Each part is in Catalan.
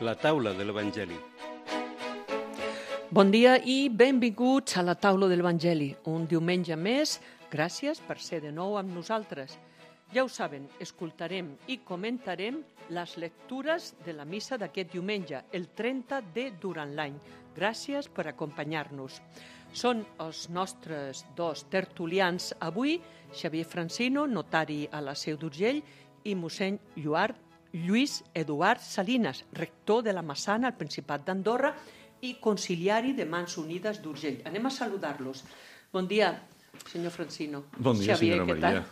La taula de l'Evangeli. Bon dia i benvinguts a la taula de l'Evangeli. Un diumenge més, gràcies per ser de nou amb nosaltres. Ja ho saben, escoltarem i comentarem les lectures de la missa d'aquest diumenge, el 30 de durant l'any. Gràcies per acompanyar-nos. Són els nostres dos tertulians avui, Xavier Francino, notari a la Seu d'Urgell, i mossèn Lluís Eduard Salinas, rector de la Massana al Principat d'Andorra i conciliari de Mans Unides d'Urgell. Anem a saludar-los. Bon dia, senyor Francino. Bon dia, Xavier, senyora Maria.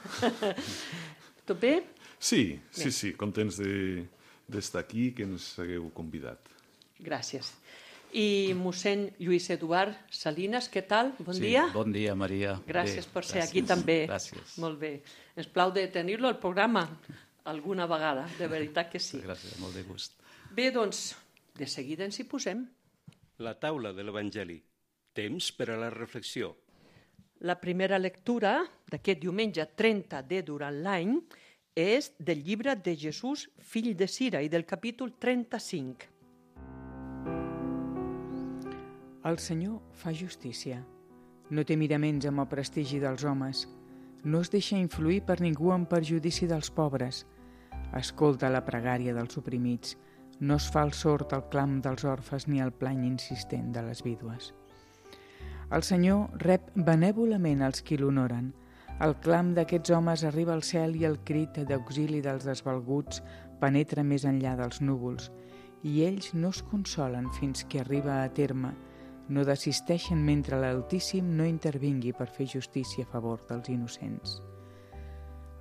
Tot bé? Sí, contents d'estar aquí, que ens hagueu convidat. Gràcies. I mossèn Lluís Eduard Salinas, què tal? Bon dia. Bon dia, Maria. Gràcies per ser aquí també. Gràcies. Molt bé. Ens plau de tenir-lo al programa alguna vegada, de veritat que sí. Gràcies, molt de gust. Bé, doncs, de seguida ens hi posem. La taula de l'Evangeli. Temps per a la reflexió. La primera lectura d'aquest diumenge 30 de durant l'any és del llibre de Jesús, fill de Sira, i del capítol 35. El Senyor fa justícia. No té miraments amb el prestigi dels homes. No es deixa influir per ningú en perjudici dels pobres. Escolta la pregària dels oprimits. No es fa el sord al clam dels orfes ni el plany insistent de les vídues. El Senyor rep benèvolament els qui l'honoren. El clam d'aquests homes arriba al cel i el crit d'auxili dels desvalguts penetra més enllà dels núvols. I ells no es consolen fins que arriba a terme. No desisteixen mentre l'Altíssim no intervingui per fer justícia a favor dels innocents.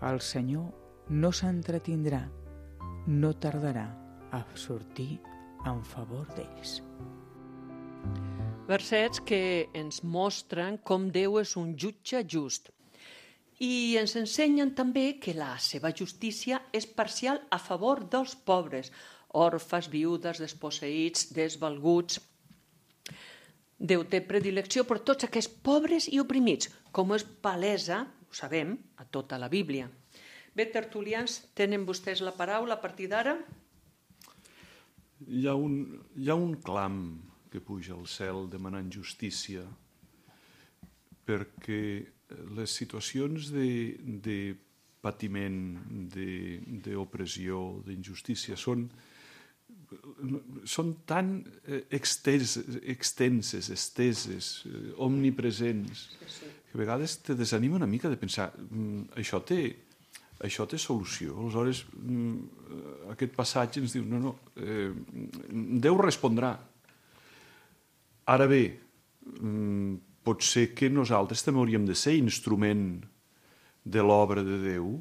El Senyor no s'entretindrà, no tardarà a sortir en favor d'ells. Versets que ens mostren com Déu és un jutge just. I ens ensenyen també que la seva justícia és parcial a favor dels pobres, orfes, viudes, desposseïts, desvalguts. Déu té predilecció per tots aquests pobres i oprimits, com és palesa, ho sabem, a tota la Bíblia. Bé, tertulians, tenen vostès la paraula a partir d'ara? Hi ha un clam que puja al cel demanant justícia perquè les situacions de patiment, d'opressió, d'injustícia són tan extenses, esteses, omnipresents, que a vegades te desanima una mica de pensar això té solució. Aleshores, aquest passatge ens diu Déu respondrà. Ara bé, pot ser que nosaltres també hauríem de ser instrument de l'obra de Déu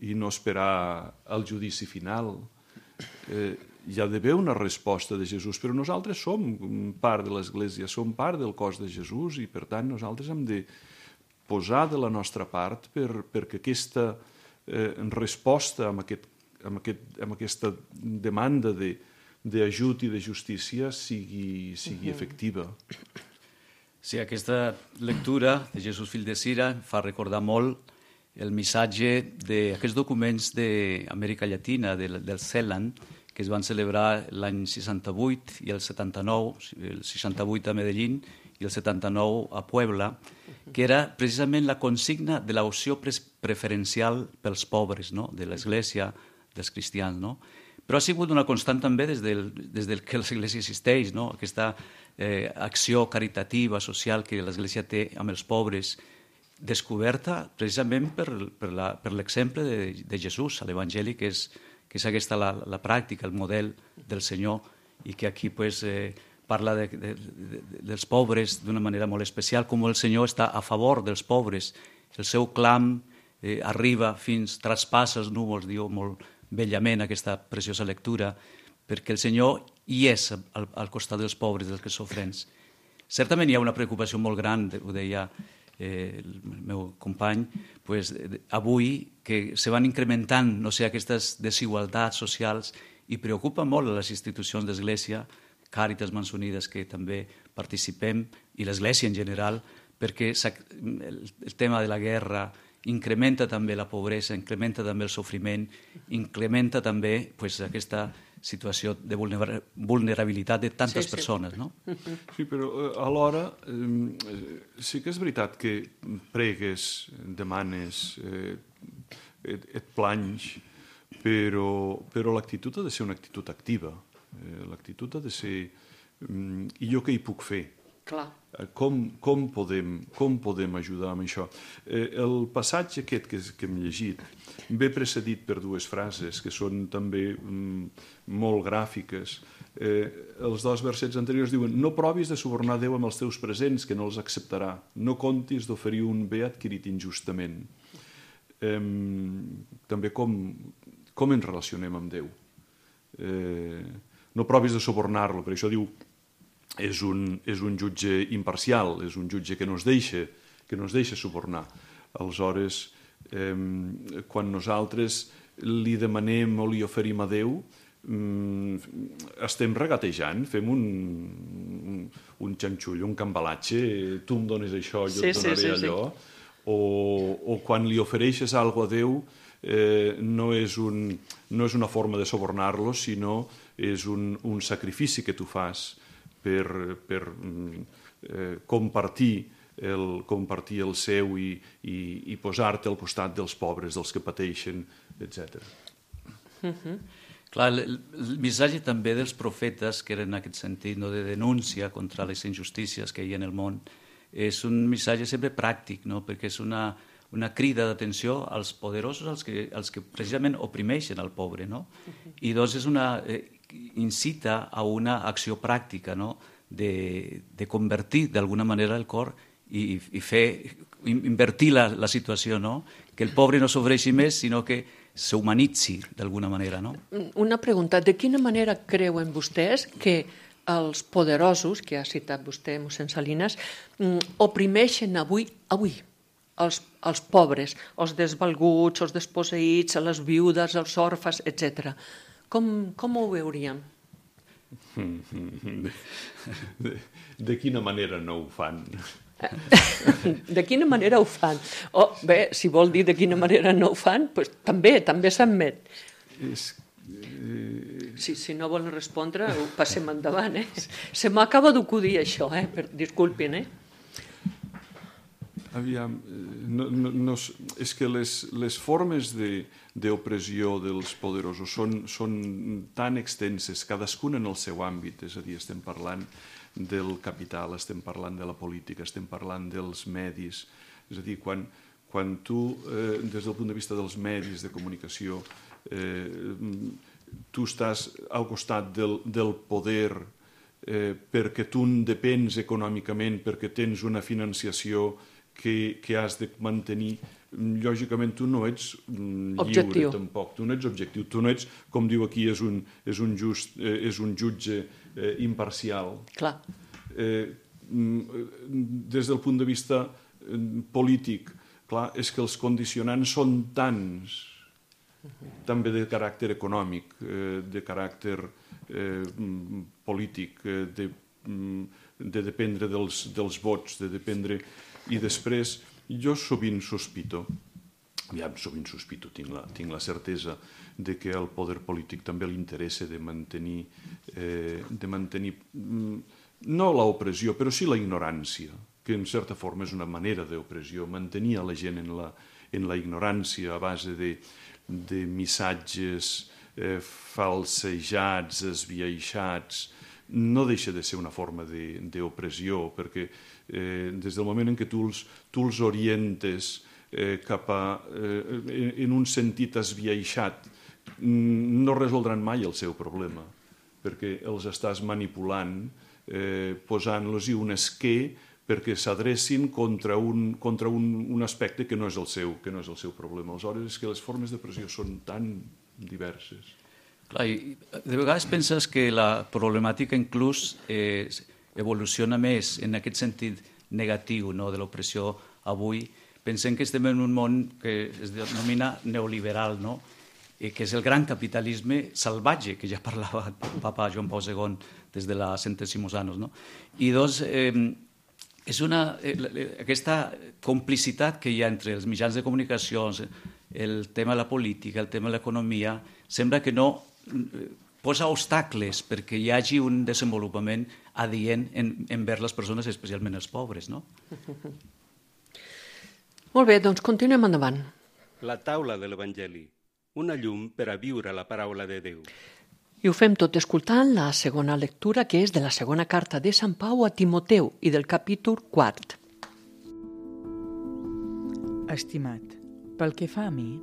i no esperar el judici final. Hi ha d'haver una resposta de Jesús, però nosaltres som part de l'Església, som part del cos de Jesús i, per tant, nosaltres hem de posar de la nostra part perquè aquesta resposta amb aquesta demanda d'ajut i de justícia sigui efectiva. Sí, aquesta lectura de Jesús, fill de Sira, fa recordar molt el missatge d'aquests documents d'Amèrica Llatina, del CELAN, que es van celebrar l'any 68 i el 79, el 68 a Medellín i el 79 a Puebla, que era precisament la consigna de l'opció preferencial pels pobres, no? De l'Església, dels cristians. No? Però ha sigut una constant també des del que l'Església existeix, no? Aquesta acció caritativa, social que l'Església té amb els pobres, descoberta precisament per l'exemple de Jesús a l'Evangeli, que és aquesta la pràctica, el model del Senyor, i que aquí parla dels pobres d'una manera molt especial, com el Senyor està a favor dels pobres. El seu clam arriba traspassa els núvols, diu molt bellament aquesta preciosa lectura, perquè el Senyor hi és al costat dels pobres, dels que sofrents. Certament hi ha una preocupació molt gran, ho deia el meu company, avui que se van incrementant aquestes desigualtats socials i preocupa molt a les institucions d'Església, Càritas, Mans Unides, que també participem, i l'Església en general, perquè el tema de la guerra incrementa també la pobresa, incrementa també el sofriment, incrementa també aquesta situació de vulnerabilitat de tantes persones, no? Sí, però alhora sí que és veritat que pregues, demanes, et planys, però l'actitud ha de ser una actitud activa. L'actitud ha de ser i jo què hi puc fer? Clar. Com podem ajudar amb això? El passatge aquest que hem llegit ve precedit per dues frases que són també molt gràfiques. Els dos versets anteriors diuen: no provis de subornar Déu amb els teus presents, que no els acceptarà. No contis d'oferir un bé adquirit injustament. També com ens relacionem amb Déu. No provis de subornar-lo, per això diu és un jutge imparcial, és un jutge que no es deixa subornar. Aleshores, quan nosaltres li demanem o li oferim a Déu, estem regatejant, fem un xanxull, un cambalatge, tu em dones això, jo et donaré allò, o quan li ofereixes alguna cosa a Déu, no és una forma de subornar-lo, sinó és un sacrifici que tu fas per compartir el seu i posar-te al costat dels pobres, dels que pateixen, etc. Clar, el missatge també dels profetes, que era en aquest sentit de denúncia contra les injustícies que hi ha en el món, és un missatge sempre pràctic, no? Perquè és una crida d'atenció als poderosos, als que precisament oprimeixen al pobre, no? I doncs incita a una acció pràctica, no? de convertir d'alguna manera el cor i invertir la situació, no? Que el pobre no sofreixi més, sinó que s'humanitzi d'alguna manera, no? Una pregunta: de quina manera creuen vostès que els poderosos, que ha citat vostè, mossèn Salinas, oprimeixen avui els pobres, els desvalguts, els desposseïts, les viudes, els orfes, etc. Com ho veuríem? De quina manera no ho fan? De quina manera ho fan? Bé, si vol dir de quina manera no ho fan, doncs també s'admet. Si no volen respondre, ho passem endavant. Se m'acaba d'acudir això, disculpin. Aviam, és que les formes d'opressió dels poderosos són tan extenses, cadascuna en el seu àmbit, és a dir, estem parlant del capital, estem parlant de la política, estem parlant dels medis, és a dir, quan tu, des del punt de vista dels medis de comunicació, tu estàs al costat del poder perquè tu en depens econòmicament, perquè tens una financiació que has de mantenir, lògicament tu no ets lliure tampoc, tu no ets objectiu, tu no ets, com diu aquí, és un jutge imparcial. Clar. Des del punt de vista polític, clar, és que els condicionants són tants, també de caràcter econòmic, de caràcter polític, de dependre dels vots, de dependre... I després, jo sovint sospito, tinc la certesa de que al poder polític també li interessa de mantenir no l'opressió, però sí la ignorància, que en certa forma és una manera d'opressió, mantenir a la gent en la ignorància a base de missatges falsejats, esbiaixats, no deixa de ser una forma d'opressió, perquè des del moment en què tu els orientes en un sentit esbiaixat, no resoldran mai el seu problema, perquè els estàs manipulant, posant-los-hi un esquer perquè s'adrecin contra un aspecte que no és el seu problema. Aleshores, és que les formes de pressió són tan diverses. Clar, de vegades penses que la problemàtica inclús evoluciona més en aquest sentit negatiu, no, de l'opressió avui. Pensem que estem en un món que es denomina neoliberal, no? Que és el gran capitalisme salvatge, que ja parlava el papa Joan Pau II des de la Centesimus Annus, no? I doncs és aquesta complicitat que hi ha entre els mitjans de comunicació, el tema de la política, el tema de l'economia, sembla que no posa obstacles perquè hi hagi un desenvolupament adient envers les persones, especialment els pobres, no? Molt bé, doncs continuem endavant. La taula de l'Evangeli, una llum per a viure la paraula de Déu. I ho fem tot escoltant la segona lectura, que és de la segona carta de Sant Pau a Timoteu i del capítol 4. Estimat, pel que fa a mi,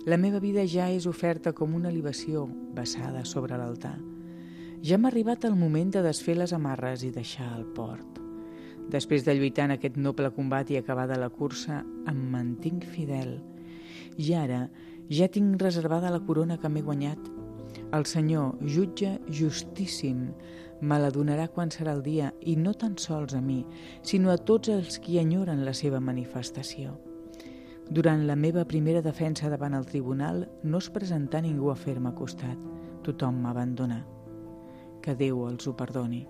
la meva vida ja és oferta com una libació vessada sobre l'altar. Ja m'ha arribat el moment de desfer les amarres i deixar el port. Després de lluitar en aquest noble combat i acabada la cursa, em mantinc fidel. I ara ja tinc reservada la corona que m'he guanyat. El Senyor, jutge justíssim, me la donarà quan serà el dia, i no tan sols a mi, sinó a tots els qui enyoren la seva manifestació. Durant la meva primera defensa davant el tribunal no es presentà ningú a fer-me costat. Tothom m'abandonà. Que Déu els ho perdoni.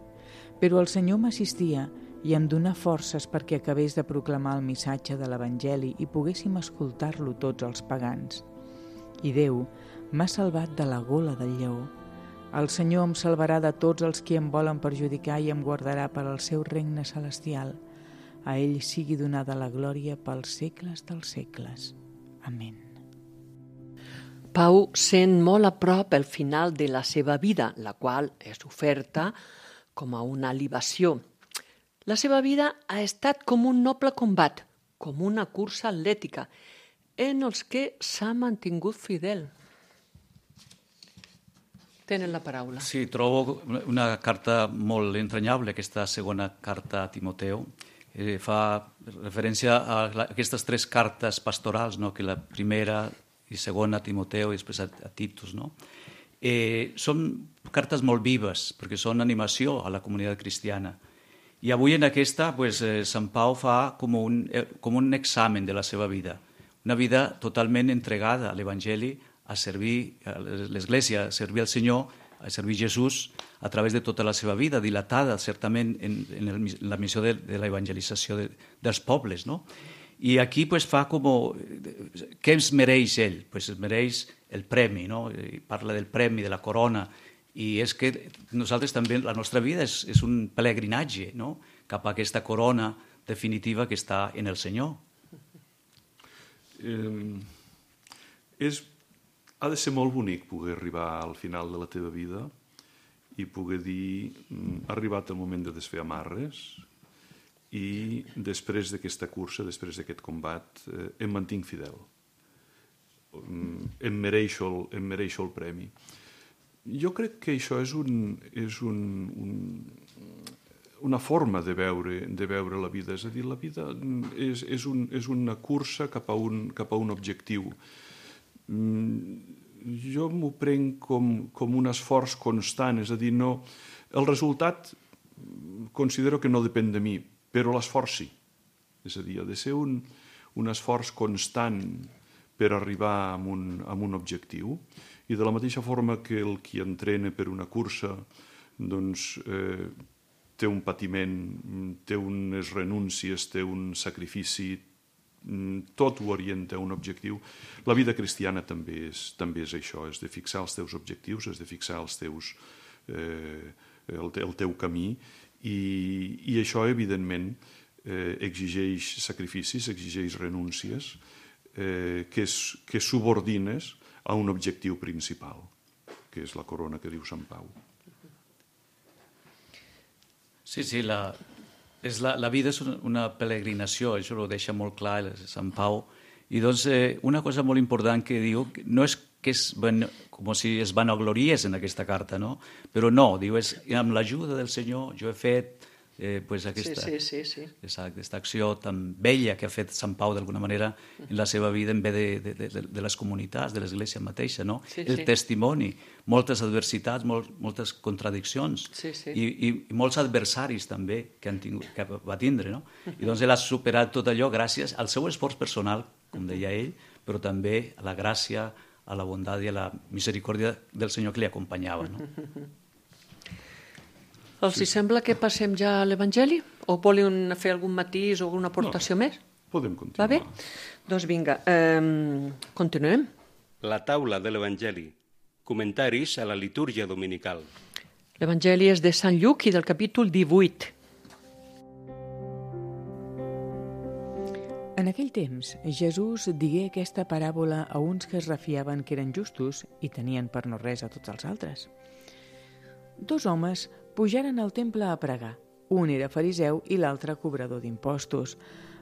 Però el Senyor m'assistia i em donà forces perquè acabés de proclamar el missatge de l'Evangeli i poguéssim escoltar-lo tots els pagans. I Déu m'ha salvat de la gola del lleó. El Senyor em salvarà de tots els qui em volen perjudicar i em guardarà per al seu regne celestial. A ell sigui donada la glòria pels segles dels segles. Amén. Pau sent molt a prop el final de la seva vida, la qual és oferta com a una libació. La seva vida ha estat com un noble combat, com una cursa atlètica, en els que s'ha mantingut fidel. Tenen la paraula. Sí, trobo una carta molt entranyable, aquesta segona carta a Timoteu. Fa referència a aquestes tres cartes pastorals, no? Que la primera i segona a Timoteu i després a Titus. No? Són cartes molt vives, perquè són animació a la comunitat cristiana. I avui en aquesta, Sant Pau fa com un examen de la seva vida, una vida totalment entregada a l'Evangeli, a servir a l'Església, a servir al Senyor, a servir Jesús a través de tota la seva vida, dilatada certament en la missió de l'evangelització dels pobles. No? I aquí fa com... Què ens mereix ell? Es mereix el premi, no? Parla del premi, de la corona, i és que nosaltres també, la nostra vida és un pelegrinatge, no? Cap a aquesta corona definitiva que està en el Senyor. Ha de ser molt bonic poder arribar al final de la teva vida i poder dir ha arribat el moment de desfer amarres i després d'aquesta cursa, després d'aquest combat, em mantinc fidel. Em mereixo el premi. Jo crec que això és una forma de veure la vida. És a dir, la vida és una cursa cap a un objectiu. Jo m'ho prenc com un esforç constant, és a dir, no, el resultat considero que no depèn de mi, però l'esforç sí. És a dir, ha de ser un esforç constant per arribar a un objectiu, i de la mateixa forma que el qui entrena per una cursa doncs, té un patiment, té unes renúncies, té un sacrifici, tot ho orienta a un objectiu. La vida cristiana també és això, és de fixar els teus objectius, és de fixar el teu camí, i això, evidentment, exigeix sacrificis, exigeix renúncies, que subordines a un objectiu principal, que és la corona que diu Sant Pau. Sí, la vida és una peregrinació, això ho deixa molt clar Sant Pau. I doncs una cosa molt important que diu, no és que com si es vanagloriés en aquesta carta, no? Però no, diu, amb l'ajuda del Senyor jo he fet aquesta acció tan bella que ha fet Sant Pau d'alguna manera en la seva vida en ve de les comunitats, de l'Església mateixa, no? El testimoni, moltes adversitats, moltes contradiccions i molts adversaris també que va tindre, no? I doncs ell ha superat tot allò gràcies al seu esforç personal, com deia ell, però també a la gràcia, a la bondat i a la misericòrdia del Senyor que li acompanyava, no? Els sembla que passem ja a l'Evangeli? O volen fer algun matís o alguna aportació més? Podem continuar. Va bé? Doncs vinga, continuem. La taula de l'Evangeli, Comentaris a la litúrgia dominical. L'Evangeli és de Sant Lluc i del capítol 18. En aquell temps, Jesús digué aquesta paràbola a uns que es refiaven que eren justos i tenien per no res a tots els altres. 2 homes pujaren al temple a pregar. Un era fariseu i l'altre cobrador d'impostos.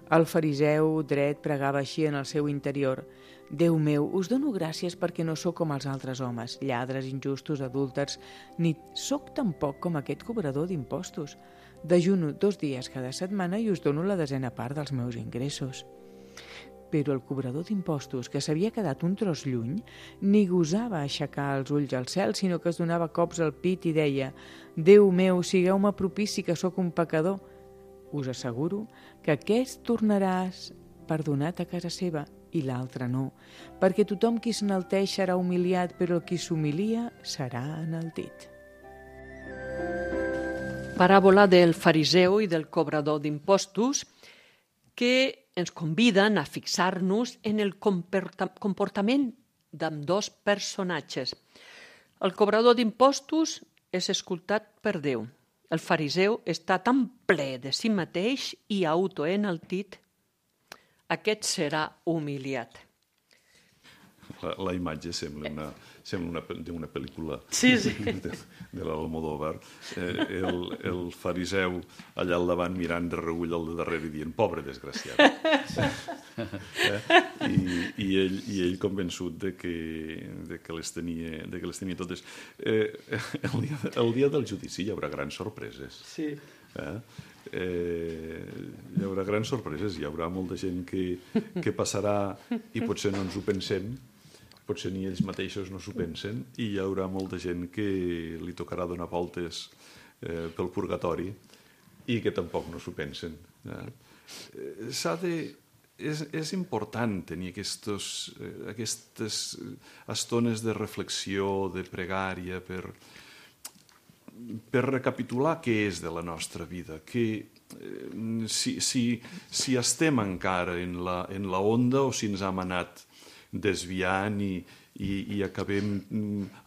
El fariseu dret pregava així en el seu interior: Déu meu, us dono gràcies perquè no sóc com els altres homes, lladres, injustos, adúlters, ni sóc tampoc com aquest cobrador d'impostos. Dejuno 2 dies cada setmana i us dono la 10ª part dels meus ingressos. Però el cobrador d'impostos, que s'havia quedat un tros lluny, ni gosava aixecar els ulls al cel, sinó que es donava cops al pit i deia: Déu meu, sigueu-me propici que sóc un pecador. Us asseguro que aquest tornaràs perdonat a casa seva i l'altre no, perquè tothom qui s'enalteix serà humiliat, però el qui s'humilia serà enaltit. Paràbola del fariseu i del cobrador d'impostos que ens conviden a fixar-nos en el comportament d'ambdós personatges. El cobrador d'impostos és escoltat per Déu. El fariseu està tan ple de si mateix i autoenaltit. Aquest serà humiliat. La imatge sembla d'una pel·lícula Sí. de l'Almodóvar. El fariseu allà al davant mirant de reüll al de darrere i dient: pobre desgraciat. I ell convençut de que les tenia totes. El dia del judici hi haurà grans sorpreses. Sí. Hi haurà grans sorpreses, hi haurà molta gent que passarà i potser no ens ho pensem, potser ni ells mateixos no s'ho pensen, i hi haurà molta gent que li tocarà donar voltes pel purgatori i que tampoc no s'ho pensen. És important tenir aquestes estones de reflexió, de pregària, per recapitular què és de la nostra vida, que si estem encara en la onda o si ens hem anat desviant i acabem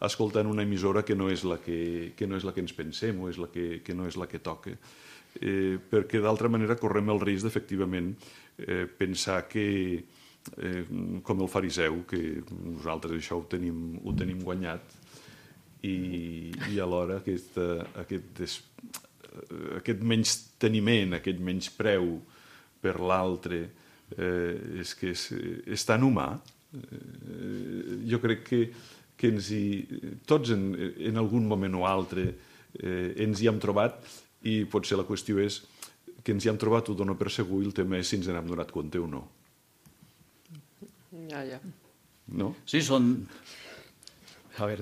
escoltant una emissora que no és la que ens pensem o és que no és la que toca. Perquè d'altra manera correm el risc d'efectivament pensar que, com el fariseu, que nosaltres això ho tenim guanyat, i alhora aquest menysteniment, aquest menyspreu per l'altre és que és tan humà. Jo crec que tots en algun moment o altre ens hi hem trobat, i potser la qüestió és que ens hi hem trobat, ho dono per segur, i el tema és si ens n'hem donat compte o no. Ja. No? Sí, són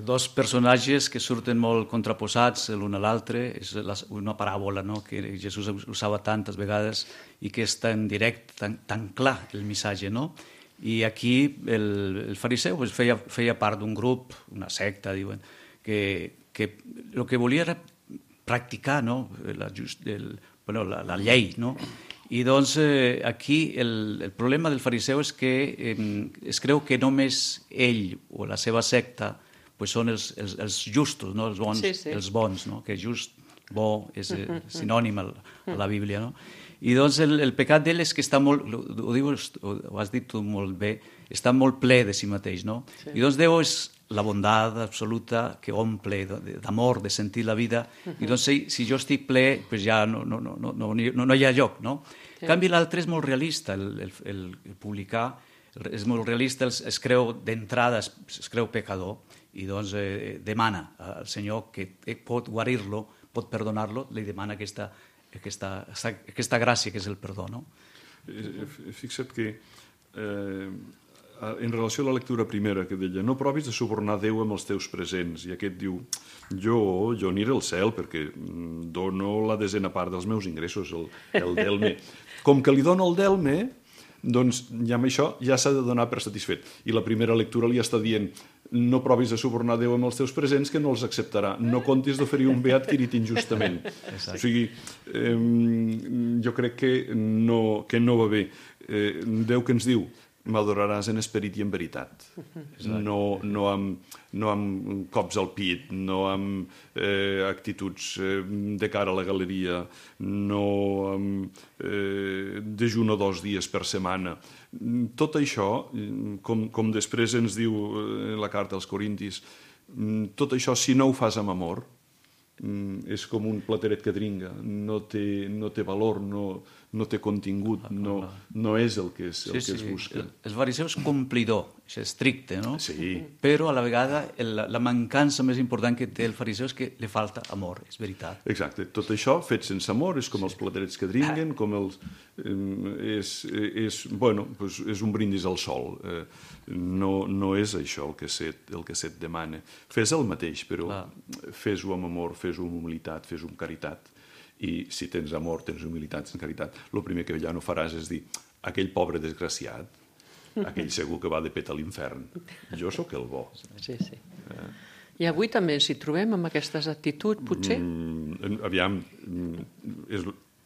dos personatges que surten molt contraposats l'un a l'altre. És una paràbola, no?, que Jesús usava tantes vegades i que és tan directe, tan clar el missatge, no? I aquí el fariseu feia part d'un grup, una secta, diuen, que el que volia era practicar, no?, la llei, no? I doncs aquí el problema del fariseu és que es creu que només ell o la seva secta són els justos, no? Els bons, no? Que just, bo, és sinònim a la Bíblia, no? I doncs el pecat d'ell és que està molt, ho has dit tu molt bé, està molt ple de si mateix, no? Sí. I doncs Déu és la bondat absoluta que omple d'amor, de sentir la vida, i doncs si jo estic ple, ja no hi ha lloc, no? En canvi l'altre és molt realista, el publicà és molt realista, es creu d'entrada, es creu pecador, i doncs demana al Senyor que pot guarir-lo, pot perdonar-lo, li demana aquesta gràcia que és el perdó, no? Fixa't que en relació a la lectura primera que deia: no provis de subornar Déu amb els teus presents, i aquest diu: jo aniré al cel perquè dono la 10ª part dels meus ingressos, el delme. Com que li dono el delme, doncs ja amb això ja s'ha de donar per satisfet. I la primera lectura li està dient: no provis de subornar Déu amb els teus presents, que no els acceptarà. No comptis d'oferir un beat quirit injustament. O sigui, jo crec que no va bé. Déu que ens diu m'adoraràs en esperit i en veritat. No amb cops al pit, no amb actituds de cara a la galeria, no amb dejuno 2 dies per setmana. Tot això, com després ens diu la carta als Corintis, tot això, si no ho fas amb amor, és com un plateret que dringa, no té valor, no té contingut, no és el que es busca. El fariseu és complidor, és estricte, no? Sí. Però a la vegada la mancança més important que té el fariseu és que li falta amor, és veritat. Exacte. Tot això fet sense amor és com els platerets que dringuen, com els... és un brindis al sol. No és això el que se't demana. Fes el mateix, però fes-ho amb amor, fes-ho amb humilitat, fes-ho amb caritat. I si tens amor, tens humilitat, tens caritat, el primer que ja no faràs és dir aquell pobre desgraciat, aquell segur que va de pet a l'infern. Jo sóc el bo. Sí. I avui també ens hi trobem amb aquestes actituds, potser? Aviam,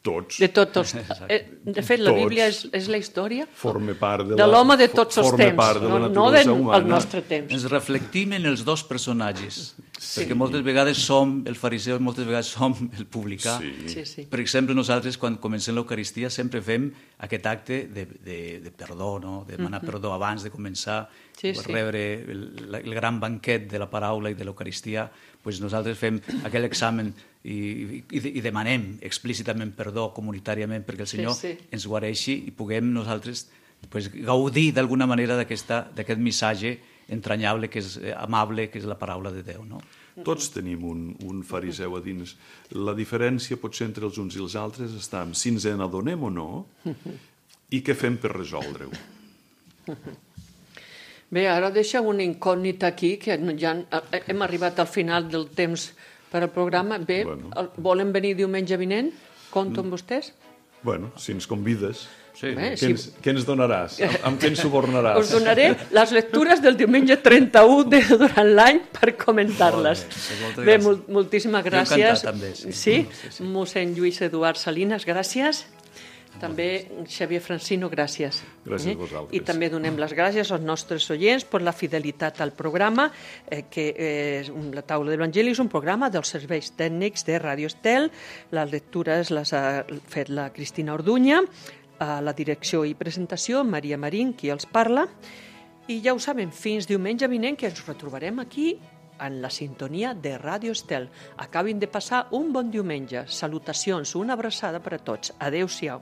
tots. De tots. De fet, la Bíblia és la història de l'home de tots els temps, no del nostre temps. Ens reflectim en els dos personatges, perquè moltes vegades som el fariseu i moltes vegades som el publicà. Sí. Per exemple, nosaltres, quan comencem l'Eucaristia, sempre fem aquest acte de perdó, no? De demanar perdó abans de començar a rebre el gran banquet de la paraula i de l'Eucaristia. Nosaltres fem aquell examen i demanem explícitament perdó comunitàriament perquè el Senyor ens guareixi i puguem nosaltres gaudir d'alguna manera d'aquest missatge entranyable, que és amable, que és la paraula de Déu. No? Tots tenim un fariseu a dins. La diferència potser entre els uns i els altres està en si ens n'adonem o no i què fem per resoldre-ho. Bé, ara deixa una incògnita aquí, que ja hem arribat al final del temps per al programa. Bé, volen venir diumenge vinent? Compto amb vostès? Bueno, si ens convides, Bé, què ens donaràs? Amb què ens subornaràs? Us donaré les lectures del diumenge 31 durant l'any per comentar-les. Bé, moltíssimes gràcies. Jo encantat, també. Sí, mossèn Lluís Eduard Salinas, gràcies. També Xavier Francino, gràcies. Gràcies a vosaltres. I també donem les gràcies als nostres oients per la fidelitat al programa, que la taula de l'Evangeli és un programa dels serveis tècnics de Ràdio Estel. Les lectures les ha fet la Cristina Orduña, a la direcció i presentació Maria Marín, qui els parla. I ja ho saben, fins diumenge vinent, que ens retrobarem aquí en la sintonia de Ràdio Estel. Acabin de passar un bon diumenge. Salutacions, una abraçada per a tots. Adéu-siau.